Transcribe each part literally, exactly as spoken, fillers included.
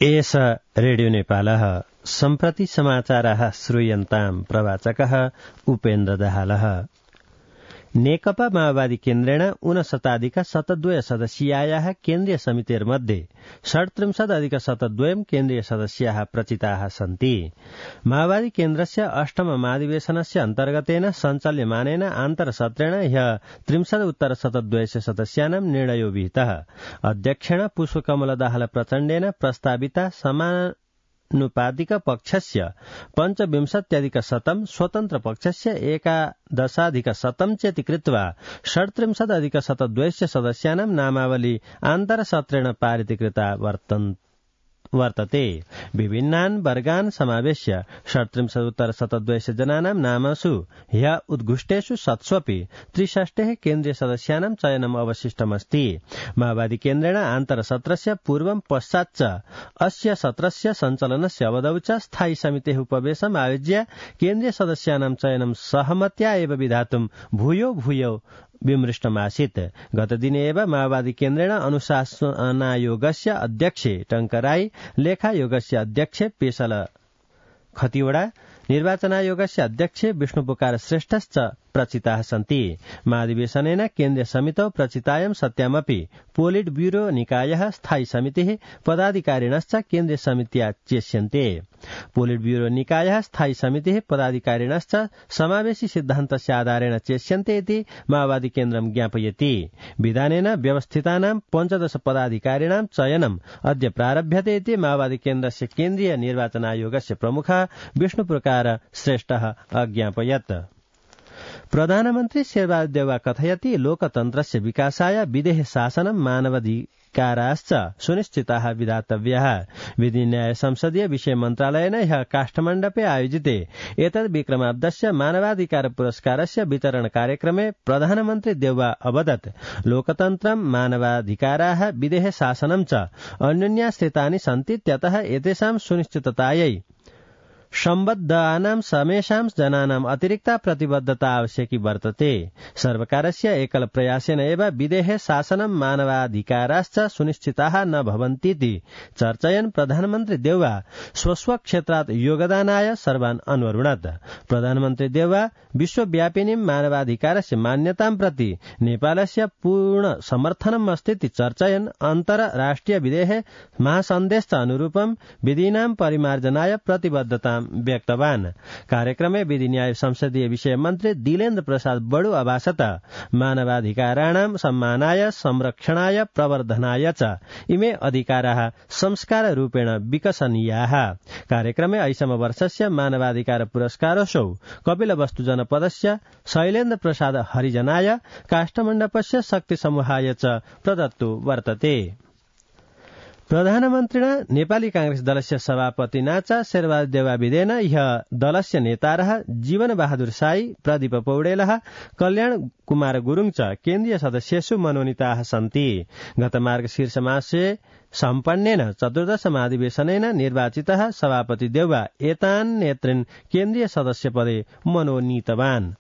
एष रेडियो नेपालः सम्प्रति समाचाराः श्रूयन्ताम् प्रवाचकः उपेन्द्र दाहालः। नेकपा माओवादी केन्द्रेण ऊनशताधिक शतद्वय सदस्यायाः केन्द्रीय समितेर्मध्ये षड्त्रिंशदधिक शतद्वयम् केन्द्रीय सदस्याः प्रचिताः सन्ति। माओवादी केन्द्रस्य अष्टम महाधिवेशनस्य अन्तर्गतेन सञ्चाल्यमानेन आन्तरसत्रेण ह्यः त्रिंशद उत्तर शतद्वयस्य सदस्यानां निर्णयो विहितः। अध्यक्षेण पुष्पकमल दाहाल प्रचण्डेन प्रस्ताविता समान नुपातिक पक्षस्य पञ्चविंशत्यधिक शतम् स्वतन्त्र पक्षस्य एकादशाधिक शतम् चेति कृत्वा षड्त्रिंशदधिक शतद्वयस्य सदस्यानां नामावली आन्तरसत्रेण पारितीकृता वर्तते। विभिन्नान् वर्गान् समावेश्य षड्त्रिंशदुत्तर शतद्वयस्य जनानां नामसु ह्यः उद्घुष्टेषु शतस्वपि त्रिषष्टेः केन्द्रीय सदस्यानां चयनम् अवशिष्टमस्ति। माओवादी केन्द्रेण आन्तरसत्रस्य पूर्वं पश्चाच्च अस्य सत्रस्य सञ्चालनस्य अवधौ च स्थायी समितेः उपवेशनम् आयोज्य केन्द्रीय सदस्यानां चयनं सहमत्या एव विधातुं भूयो भूयो विमृष्टमासीत्। गतदिने एव माओवादी केन्द्रेण अनुशासनायोगस्य अध्यक्षे टंकराई, लेखायोगस्य अध्यक्षे पेशल खतिवड़ा, निर्वाचनायोगस्य अध्यक्षे विष्णुपुकार श्रेष्ठश्च प्रचिताः सन्ति। महाधिवेशनेन केन्द्रीय समितौ प्रचितायां सत्यामपि पोलिट ब्यूरो निकायः स्थायी समितिः पदाधिकारिणश्च केन्द्रीय समित्या चेष्यन्ते। पोलिट ब्यूरो निकायः स्थायी समितिः पदाधिकारिणश्च समावेशी सिद्धान्तस्य आधारेण चेष्यन्ते इति माओवादी केन्द्रं ज्ञापयति। विधानेन व्यवस्थितानां पञ्चदश पदाधिकारिणां चयनम् अद्य प्रारभ्यते इति माओवादी केन्द्रस्य केन्द्रीय निर्वाचन आयोगस्य प्रमुखः विष्णुप्रकार श्रेष्ठः अज्ञापयत्। प्रधानमन्त्री शेरबहादुर देउवा कथयति लोकतन्त्रस्य विकासाय विदेह शासनं मानवाधिकाराश्च सुनिश्चिताः विधातव्याः। विधि न्याय संसदीय विषय मन्त्रालयेन ह्यः काष्ठमण्डपे आयोजिते एतद् विक्रमाब्दस्य मानवाधिकार पुरस्कारस्य वितरण कार्यक्रमे प्रधानमन्त्री देउवा अवदत् लोकतन्त्रं मानवाधिकाराः विदेह शासनं च अन्योन्याश्रितानि सन्ति, त्यतः एतेषां सुनिश्चिततायै सम्बद्धानां समेषां जनानां अतिरिक्ता प्रतिबद्धता आवश्यकी वर्तते। सर्वकारस्य एकल प्रयासेन एव विदेहे शासनं मानवाधिकाराश्च सुनिश्चिताः न भवन्तीति चर्चयन् प्रधानमन्त्री देउवा स्वस्वक्षेत्रात् योगदानाय सर्वान् अन्वरुणत्। प्रधानमन्त्री देउवा विश्वव्यापिनीं मानवाधिकारस्य मान्यतां प्रति नेपालस्य पूर्ण समर्थनम् अस्ति चर्चयन् अन्तर्राष्ट्रिय विदेह महासन्देशस्य अनुरूपं विधीनां परिमार्जनाय प्रतिबद्धता व्यक्तवान्। कार्यक्रमे विधि न्याय संसदीय विषय मन्त्री दिलेन्द्र प्रसाद बडु अभाषत मानवाधिकाराणां सम्मानाय संरक्षणाय प्रवर्धनाय च इमे अधिकाराः संस्कार रूपेण विकसनीयाः। कार्यक्रमे ऐषम वर्षस्य मानवाधिकार पुरस्कारोऽसौ कपिलवस्तु जनपदस्य शैलेन्द्र प्रसाद हरिजनाय काष्ठमण्डपस्य शक्ति समूहाय च प्रदत्तो वर्तते। प्रधानमन्त्रिणा नेपाली कांग्रेस दलस्य सभापतिना च शेरबहादुर देउवा विदेन ह्यः दलस्य नेतारः जीवन बहादुर साई, प्रदीप पौडेलः, कल्याण कुमार गुरुङ च केन्द्रीय सदस्येषु मनोनीताः सन्ति। गत मार्गशीर्ष मासे सम्पन्नेन चतुर्दश महाधिवेशनेन निर्वाचितः सभापति देउवा एतान् नेतृन् केन्द्रीय सदस्यपदे मनोनीतवान्।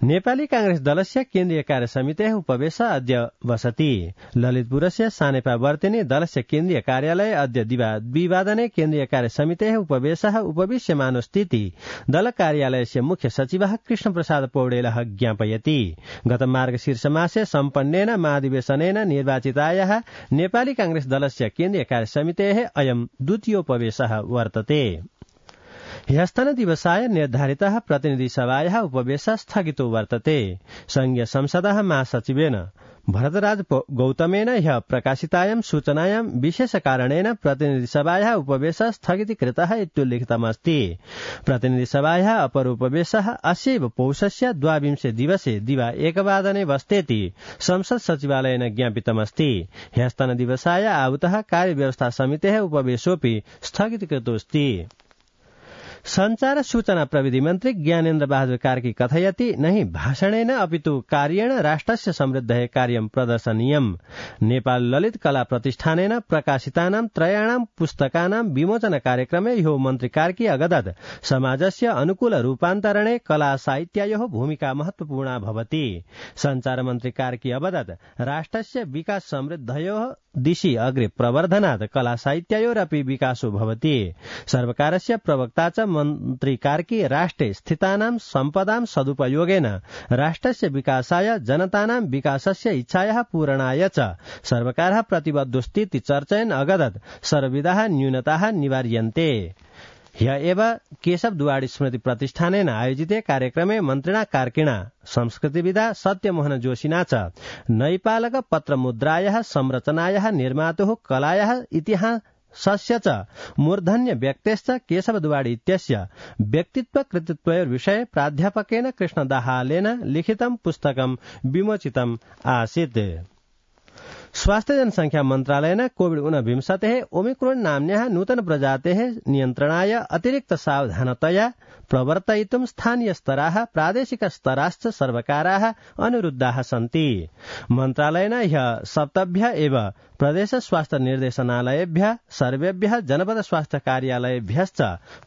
नेपाली कांग्रेस दलस्य केन्द्रीय कार्य समितेः उपवेश अद्य वसति। ललितपुरस्य सानेपावर्तिनी दलस्य केन्द्रीय कार्यालये अद्य द्विवादने केन्द्रीय कार्य समितेः उपवेशः उपविश्यमानोऽस्तीति दल कार्यालयस्य मुख्य सचिवः कृष्णप्रसाद पौडेलः ज्ञापयति। गत मार्गशीर्षमासे सम्पन्नेन महाधिवेशनेन निर्वाचितायाः नेपाली कांग्रेस दलस्य केन्द्रीय कार्य समितेः अयं द्वितीयोपवेशः वर्तते। ह्यस्तन दिवसाय निर्धारितः प्रतिनिधि सभायाः उपवेशः स्थगितो वर्तते। संघीय संसदः महासचिवेन भरतराज गौतमेन ह्यः प्रकाशितायां सूचनायां विशेष कारणेन प्रतिनिधि सभायाः उपवेशः स्थगितीकृतः इत्युल्लिखितमस्ति। प्रतिनिधि सभायाः अपर उपवेशः अस्यैव पौषस्य द्वाविंशे दिवसे दिवा एकवादने बस्तेति संसद सचिवालयेन ज्ञापितमस्ति। ह्यस्तन दिवसाय आहूतः कार्यव्यवस्था समितेः उपवेशोऽपि स्थगितीकृतोऽस्ति। संचार सूचना प्रविधि मन्त्री ज्ञानेन्द्र बहादुर कार्की कथयति नहि भाषणेन अपितु कार्येण राष्ट्रस्य समृद्धये कार्यं प्रदर्शनीयम्। नेपाल ललित कला प्रतिष्ठानेन प्रकाशितानां त्रयाणां पुस्तकानां विमोचन कार्यक्रमे ह्यो मन्त्री कार्की अगदत् समाजस्य अनुकूल रूपान्तरणे कला साहित्यायोः भूमिका महत्वपूर्णा भवति। संचार मन्त्री कार्की अवदत् राष्ट्रस्य विकास समृद्धयोः दिशि अग्रे प्रवर्धनात् कला साहित्योरपि विकासो भवति। सर्वकारस्य प्रवक्ता च मन्त्री कार्की राष्ट्रे स्थितानां सम्पदां सदुपयोगेन राष्ट्रस्य विकासाय जनतानां विकासस्य इच्छायाः पूरणाय च सर्वकारः प्रतिबद्धोऽस्तीति चर्चयन् अगदत् सर्वविधाः न्यूनताः निवार्यन्ते। ह्य एव केशव दुवाडी स्मृति प्रतिष्ठानेन आयोजिते कार्यक्रमे मन्त्रिणा कार्किणा संस्कृतिविदा सत्यमोहन जोशिना च नैपालक पत्रमुद्रायाः संरचनायाः निर्मातुः कलायाः इतिहासस्य च मूर्धन्य व्यक्तेश्च केशव दुवाडी इत्यस्य व्यक्तित्व कृतित्वयोर्विषये प्राध्यापकेन कृष्ण दाहालेन लिखितं पुस्तकं विमोचितम् आसीत्। स्वास्थ्य जनसंख्या मन्त्रालयेन कोविड ऊनविंशतेः ओमिक्रोन नाम्न्याः नूतन प्रजातेः नियन्त्रणाय अतिरिक्त सावधानतया प्रवर्तयितुं स्थानीय स्तराः प्रादेशिक स्तराश्च सर्वकाराः अनुरुद्धाः सन्ति। मन्त्रालयेन ह्यः सप्तभ्यः एव प्रदेश स्वास्थ्य निर्देशनालयेभ्यः सर्वेभ्यः जनपद स्वास्थ्य कार्यालयेभ्यश्च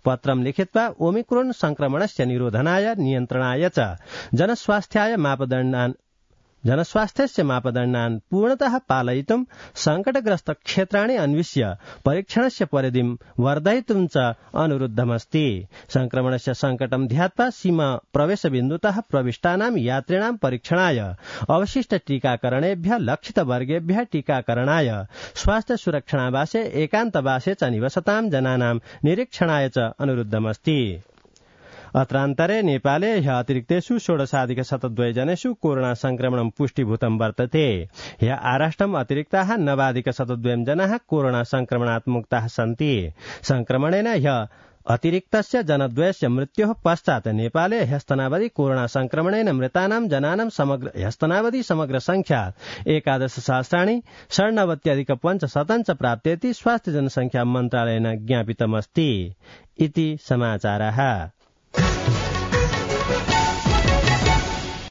पत्रं लिखित्वा ओमिक्रोन संक्रमणस्य निरोधनाय नियन्त्रणाय च जनस्वास्थ्याय मापदण्डान् जनस्वास्थ्यस्य मापदण्डान् पूर्णतः पालयितुं संकटग्रस्त क्षेत्राणि अन्विष्य परीक्षणस्य परिधिं वर्धयितुं च अनुरुद्धमस्ति। संक्रमणस्य संकटं ध्यात्वा सीमा प्रवेशबिन्दुतः प्रविष्टानां यात्रिणां परीक्षणाय अवशिष्ट टीकाकरणेभ्यः लक्षितवर्गेभ्यः टीकाकरणाय स्वास्थ्य सुरक्षणावासे एकान्तवासे च निवसतां जनानां निरीक्षणाय च अनुरुद्धमस्ति। अत्रान्तरे नेपाले ह्यः अतिरिक्तेषु षोडशाधिक शतद्वय जनेषु कोरोना संक्रमणं पुष्टिभूतं वर्तते। ह्यः आराष्ट्रम् अतिरिक्ताः नवाधिक शतद्वयं जनाः कोरोना संक्रमणात् मुक्ताः सन्ति। संक्रमणेन ह्यः अतिरिक्तस्य जनद्वयस्य मृत्योः पश्चात् नेपाले ह्यस्तनावधि कोरोना संक्रमणेन मृतानां जनानां समग्र ह्यस्तनावधि समग्र संख्या एकादश सहस्राणि षण्णवत्यधिक पञ्चशतं च प्राप्तेति स्वास्थ्य जनसंख्या मन्त्रालयेन ज्ञापितमस्ति। इति समाचारः।